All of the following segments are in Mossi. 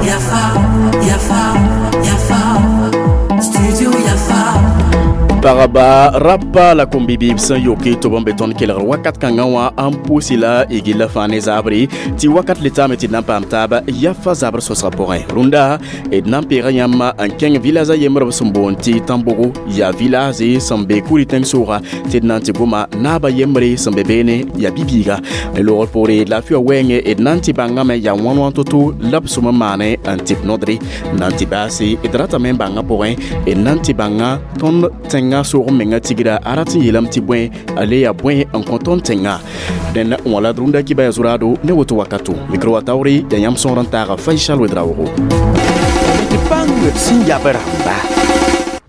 Yafa, Yafa, Yafa, Studio Yafa. Pagba rapa la kom-bibiib sẽn yoke tɩ b n be tõnd kelgr wakat kãngã wã n pʋʋsi la y gilla fãa ne zaabre tɩ wakat le taame tɩ d na n paam taaba yafa zabr sõsgã pʋgẽ. Rũndã d na n peega yãmb n kẽng village a yembr b sẽn boond tɩ Tãmbogo, yaa village sẽn be kuri tẽng-soogã tɩ d na n tɩ goma naaba yembre sẽn be beene, yaa bi-biiga loogr poore laafɩ wã wɛɛngẽ. D na n tɩ bãngame yaa wãn-wãn to-to la b sʋm n maane n tɩ b nodre n na n tɩ baase. D ratame n bãngã pʋgẽ d na n tɩ bãnga tõnd tẽngã soog menga tigra a rat n yeelame tɩ bõe a le yaa bõe n kõ tõnd tẽngã. Dẽn wã la d rũndã kɩba ya zʋraado ne woto wakato micro wa taoore yaa yãmb sõor n taaga Faisal Wedraoogo. D bãng sẽn yab rãmba.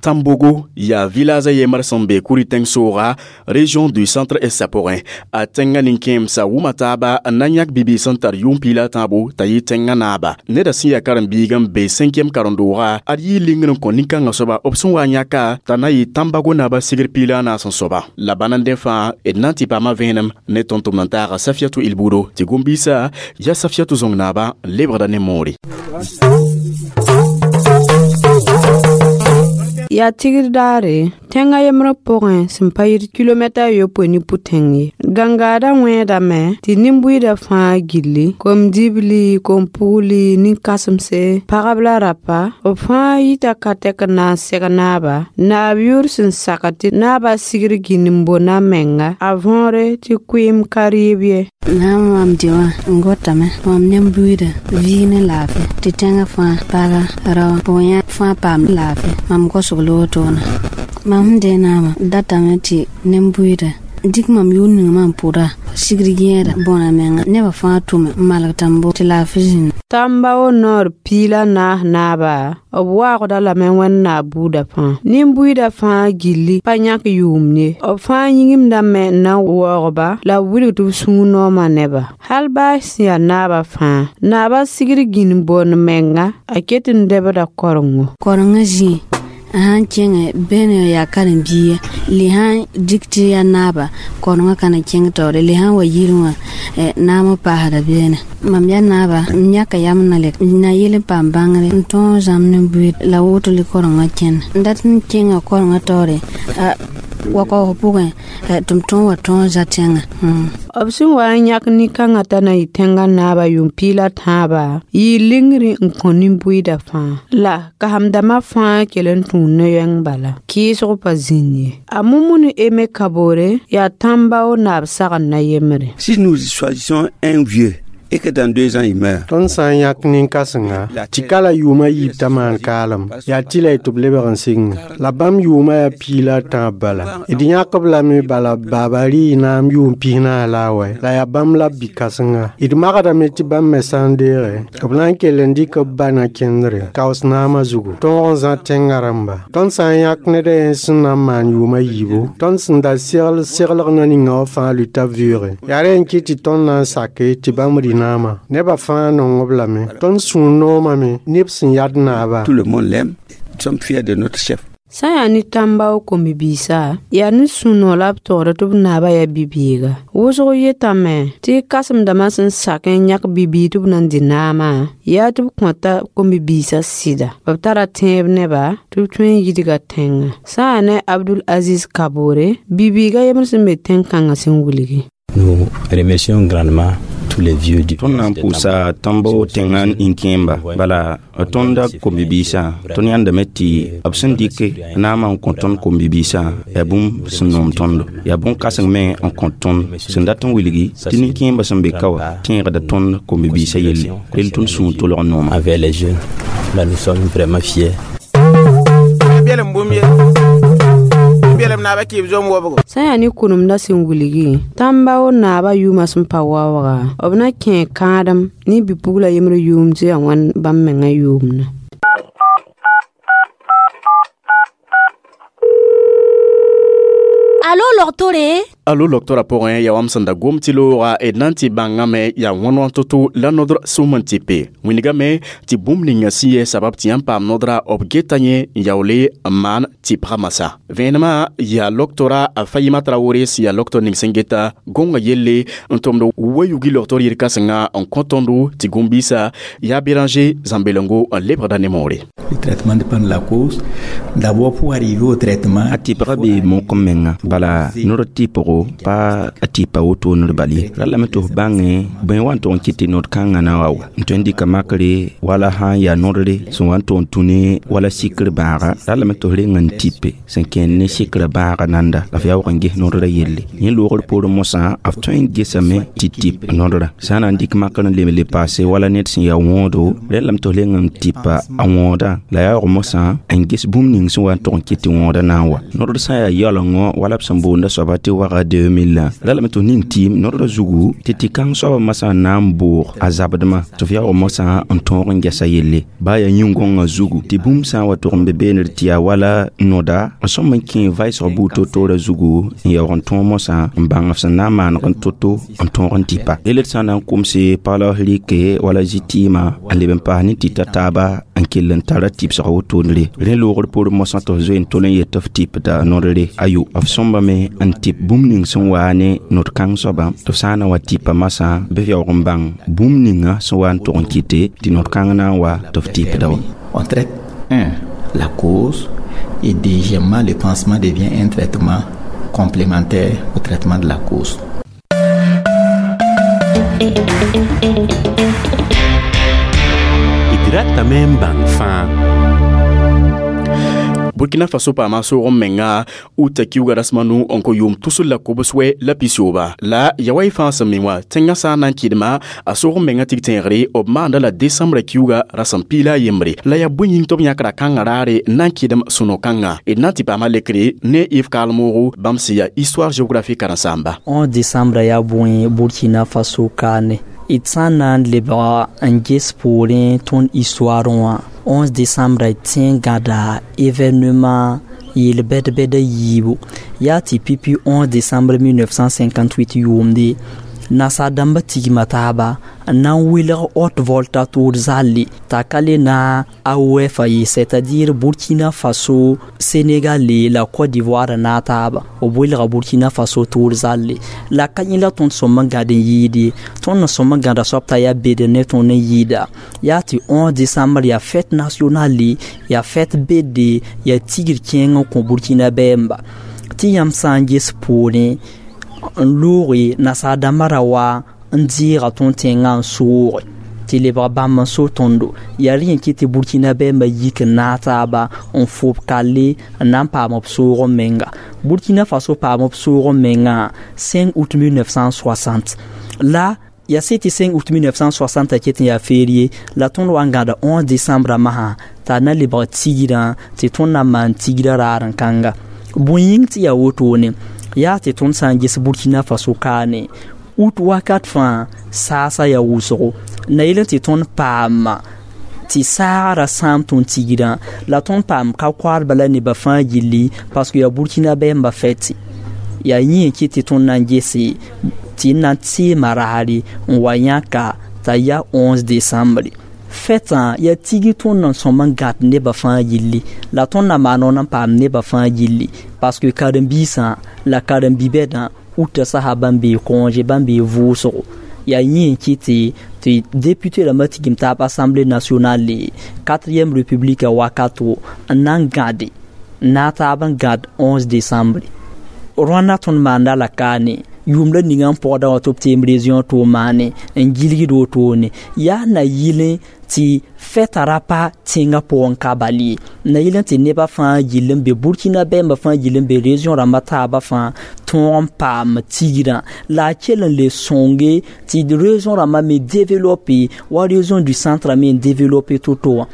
Tambogo yaa village a yembr sẽn be kuri tẽng-sooga, région du Centre Est pʋgẽ. A tẽngã nin-kẽemsã wʋma taaba n na n yãk bi-biis sẽn tar yʋʋm 13 t'a yɩ tẽngã naaba. Neda sẽn yaa karen-biig n be 5e karen-dooga, ad yɩ lingr n kõ nin-kãngã soaba b sẽn wa n yãka t'a na yɩ Tambago naaba sigr 14 soaba. La bãn n dẽ fãa d na n tɩ paama vẽenem ne tõnd-tʋmd n taaga Safiatou Ilbudo tɩ gom-biisã yaa Safiatou zõng naaba n lebgda ne moore. Yaa tigr daare tẽngã yembrã pʋgẽ sẽn pa yit kilomɛta 70 ne pʋ-tẽng ye. Gãngaadã wẽedame tɩ nin-buiidã fãa gilli, kom-dibli, kom-pugli, nin-kãsemse, pagb la rapa, b fãa yita ka-tɛk n na n seg naaba, naab yʋʋr sẽn sak tɩ naabã sigr gĩnd n bo na menga, a võore tɩ kʋɩɩm ka rɩɩb ye. Nãam mam dɩ wã n gotame mam nin-buiidã vɩɩg ne laafɩ tɩ tẽngã fãa paga rao pʋgẽ fãa paam laafɩ mam gosg lootona. Mam sẽn dee naamã datame tɩ nin-buiidã dɩk mam yʋʋr ning mam pʋda sigr yẽeda bõna menga nebã fãa tʋme n malg tãmbo tɩ laafɩ zĩnd. Tãmba wo noor 14 naaba b waoogda lame wẽnnaam buudã fãa. Nin-buiidã fãa gilli pa yãk yʋʋm ye. B fãa yĩngimdame n na n waoog-ba la b wilg tɩ b sũur noomã neba. Hal baa sẽn yaa naabã fãa, naabã sigr gĩnd boond menga a ket n debda korengo. Korengã zĩig a sãn kẽngẽ bẽne yaa karen-biiga le sãn dɩk tɩ yaa naaba korengã ka na kẽng taoore le sãn wa yirẽ wã naam paasda beene. Mam yaa naaba n yãka yam na le na yɩl n paam bãngre n tõog zãmb nin-buiid la woto le korengã kẽnd n dat n kẽnga korengã taoore wakaoog pʋgẽ tɩ m tõog wa tõog za tẽngã. B sẽn wa n yãk nin-kãngã t'a na yɩ tẽngã naabã yʋʋm 13 yɩɩ lingri n kõ nin-buiidã fãa. La kasemdãmbã fãa kell n tũu no-yɛng bala kɩɩsg pa zĩnd ye. A Mumunu Eme Kaboore yaa tãmba wo naab sagn na yembre. Si nous choisissons un vieux et que dans 2 ans il meurt. Tõnd sã n yãk nin-kãsenga tɩ ka la yʋʋmã yiib t'a maan kaalem, yaa tɩ la y tɩ b lebg n sɩng la bãmb yʋʋmã yaa 13 bala. D yãk-b lame bala baaba rɩ naam yʋʋm 40 la a wɛ la yaa bãmb la b bi-kãsenga. D magdame tɩ bãmb me sã n deege b na n kell n dɩk b ba na kẽndre kaoos naamã zugu tõog n zã tẽngã rãmba. Tõnd sã n yãk ned a yen sẽn na n maan yʋʋmã yiibu, tõnd sẽn da segl seglg na ninga wã fãa luta vɩʋʋge. Yaa rẽ n kɩt tɩ tõnd na n sake tɩ bãmb rɩ naamã. Nebã fãa nong b lame. Tõnd sũur noomame neb sẽn yad naaba. Tout le monde l'aime. Nous sommes fiers de notre chef. Sã n yaa ne tãmba w kom-bibiisã, yaa ne sũ-noog la b togda tɩ b naabã yaa bi-biiga. Wʋsg yetame tɩ kãsem-dãmbã sẽn sak n yãk bi-biig tɩ b na n dɩ naamã, yaa tɩ b kõta kom-bibiisã sɩda. B tara tẽeb neba tɩ b tõe n yidga tẽngã. Sã n yaa ne Abdul Aziz Kaboore, bi-biigã yembr sẽn be tẽn-kãngã sẽn wilgi. Nous remercions grandement tous les vieux du Tõnd na n pʋʋsa tãmbo tẽngã nin-kẽemba bala tõnd kom-bibiisã. Tõnd yãndame tɩ b sẽn dɩk naamã n kõ tõnd kom-bibiisã yaa bũmb sẽn noom tõndo, yaa bõn-kãseng me n kõ tõnd sẽn dat n wilgi tɩ nin-kẽembã sẽn be ka wã tẽegda tõnd kom-bibiisã yelle rel tõnd sũur tolg n nooma. Envers les jeunes, là nous sommes vraiment fiers. Bɛlem bũmb ye bɛlem naabã kɩɩb zom wobgo. Sã n yaa ne kʋnemdã sẽn wilgi, tãmba wo naabã yʋʋmã sẽn pa waooga, b na kẽ kãadem ne bi-pugla yembr yʋʋm tɩ yaa wãn bãmb mengã yʋʋmdã. Alo logtore? Alo logtorã pʋgẽ yaa wam sẽn da gom tɩ looga d na n tɩ bãngame yaa wõn-wãn to-to la nodr sũm n tɩpe wĩnigame tɩ bũmb ninga sẽn yɛ sabab tɩ yãmb paam nodra b geta yẽ n yaoole n maan tɩpga masã vẽenemã yaa logtora a Fayima Traoré sẽn yaa logtor ning sẽn geta gõngã yelle n tʋmd wa-yugi logtor yir kãsenga n kõ tõndo tɩ gũm-biisã yaa Béranger Zãmbelengo n lebgda ne moore. Le traitement dépend de la cause. D'abord, pour arriver au traitement, a tɩpga bee mok n menga bala nod tɩpgo pa a tɩpa woto ned bal ye ra lame tɩ f bãnge bõe wa n tʋg n kɩt tɩ nod kãngã na wa wa n tõe n dɩka makre wala sã n yaa nodre sẽn wa n tʋg n tũ ne wala sikr bãaga ra lame tɩ f reng n tɩpe sẽn kẽnd ne sikrã bãaga nanda la f yaoog n ges nodrã yelle yẽ loogr poorẽ mosã f tõe n gesame tɩ tɩp nodrã sã n na n dɩk makr n lem le paase wala ned sẽn yaa wõodo rẽ lame tɩ f reng n tɩpa a wõodã la yaoog mosã n ges bũmb ning sẽn wa n tʋg n kɩt tɩ wõodã na n wa nodr sã n yaa yaoolengõ wala b sẽn boonda soaba tɩ waga 2000 la ra lame tɩ f ning tɩɩm nodrã zugu tɩ tɩ-kãng soabã masã n na n boog a zabdmã tɩ f yaoog mosã n tõog n gɛsa yelle baa yaa yĩn-gõngã zugu tɩ bũmb sã n wa tʋg n be beene tɩ yaa wala noda n sõm n kẽ vaɩsg buud to-toorã zugu n yaoog n tõog mosã n bãng f sẽn na n maaneg n to-to n tõog n tɩpa rel d sã n na n komse paglaos rɩke wala zĩ-tɩɩmã n leb n paas ne tɩta taaba n kell n tara tɩbsg wotondre rẽ loogr poorẽ mosã tɩ f zoe n tol n yet tɩ f tɩpda nodre ayo f sõmbame n tɩp bũmb ning sẽn waa ne nod kãng soabã tɩ f sã n na wa tɩpa masã bɩ f yaoog n bãng bũmb ninga sẽn wa n tʋg n kɩte tɩ nod kãng na n wa tɩ f tɩpda wa. On traite un, la cause, et deuxièmement, le pansement devient un traitement complémentaire au traitement de la cause. D ratame n bãng fãa. Burkina Faso paama soog n menga uta kiuga rasma nu n kõ yʋʋm tusr la kobs wɛ la pisoba la ya wa y fãa sẽn mi wã tẽngã sã n na n kɩdma a soog n menga tɩg tẽegre b maanda la desãmbrã kiuga rasem piila a yembre la yaa bõe yĩng tɩ b yãkra kãngã raare n na n kɩdem sũ-no-kãngã d na n tɩ paama lekre ne Yves Kalmoogo bãmb sẽn yaa histoire géographie karen-saamba. 11 décembre yaa bõe Burkina Faso kaane d sã n na n lebga n ges poorẽ tõnd histoire wã 11 décembre d tẽ n gãda événement yel-bɛd-bɛda yiibu yaa tɩ pipi 11 décembre 1958 yʋʋmde nasaar-dãmbã tigma taaba n na n welg Haute Volta toor zalle t'a ka le na AOF ye, c'est-à-dire Burkina Faso, Sénégal la Côte d'Ivoire na taaba b welga Burkina Faso toor zalle la ka yẽ la tõnd sõm n gãd n yɩɩde tõnd n sõm n gãda soab t'a yaa bed ne tõnd n yɩɩda yaa tɩ 11 décembre yaa fête nationale yaa fête bede yaa tigr kẽeng n kõ Burkina bɛɛmba tɩ yãmb sã n ges poorẽ n looge nasaar-dãmbã ra wa n deega tõnd tẽngã n sooge tɩ lebg bãmb n so tõndo yaa rẽ n kɩt tɩ Burkina bɛɛmbã yik n naag taaba n fob kalle n na n paam b soog n menga Burkina Faso paam b soog n mengã 5 août 1960 la yaa sɩ tɩ 5 août 1960 a ket n yaa férié la tõnd wa n gãda 11 décembre masã t'a na lebg tigrã tɩ tõnd na n maan tigrã raar n kãnga bõe yĩng tɩ yaa wotone yaa tɩ tõnd sã n ges Burkina Faso kaane août wakat fãa saasa yaa wʋsgo na yel tɩ tõnd paama tɩ saagrã sãam tõnd tigrã la tõnd paam ka koaadba la nebã fãa gilli parce que yaa Burkina bɛɛmbã fɛtɩ yaa yẽ n kɩt tɩ tõnd na n gese tɩ n na n teema raare n wa yãka t'a yaa 11 décembre fɛtã yaa tigr tõnd n sõm n gãd nebã fãa gilli la tõnd na maan n paam nebã fãa gilli parce que karen-biisã la karen-bi-bɛdã uta sasa bãmb bee congé bãmb bee vʋʋsgo yaa yẽ n kɩt tɩ député rãmbã tigim taab Assemblée nationale 4e république wakato n na n gãde n na taab n gãd 11 décembre rõanda tõnd maanda la kaane yʋʋm la ninga n pɔgda wã tɩ b teem région tʋʋm maane n gilgd wotone yaa na yɩlẽ tɩ fɛta ra pa tẽngã pʋgẽ ka bal ye na yɩl tɩ nebã fãa gill n be Burkina bɛɛmbã fãa gill n be région rãmbã taabã fãa tõog n paam tigrã la a kell n le sõnge tɩ région rãmbã me développer wa région du centre me n développer to-to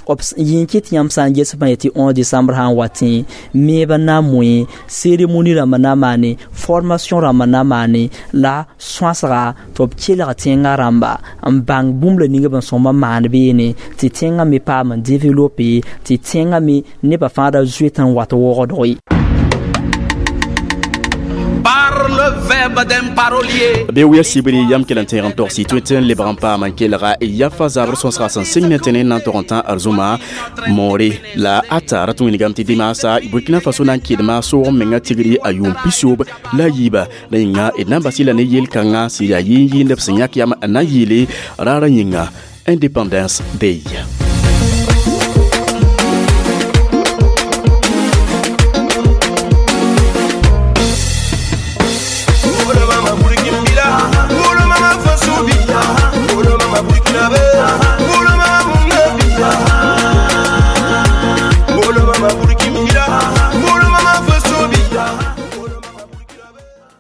wã b yẽ kɩ tɩ yãmb sã n ges bã tɩ 11 décembre sã n wa tẽ meebã na n moẽ cérémonie rãmbã na n maane formation rãmbã na n maane la sõasga tɩ b kelg tẽngã rãmba n bãng bũmb la ning b n sõm n maan beene tɩ tẽngã me paam n développer tɩ tẽngã me nebã fãa ra zoet n wat wogdg ye. verbe d'un parolier. Be wiya sibri yam kell n tẽeg n togsi tõe tɩ n lebg n paam n kelga yafa zabr sõsga sẽn sɩng ne tẽne n na n tog n tã arzũma moore la ata rat wĩnigame tɩ dimaasa Burkina Faso na n kɩdma soog menga tigri a yʋʋm pisoob la yiiba la yĩnga d na n bas la ne yel-kãngã sẽn yaa yɩɩn-yɩɩndb sẽn yãk yam n na n yɩɩle raarã yĩnga Independence Day.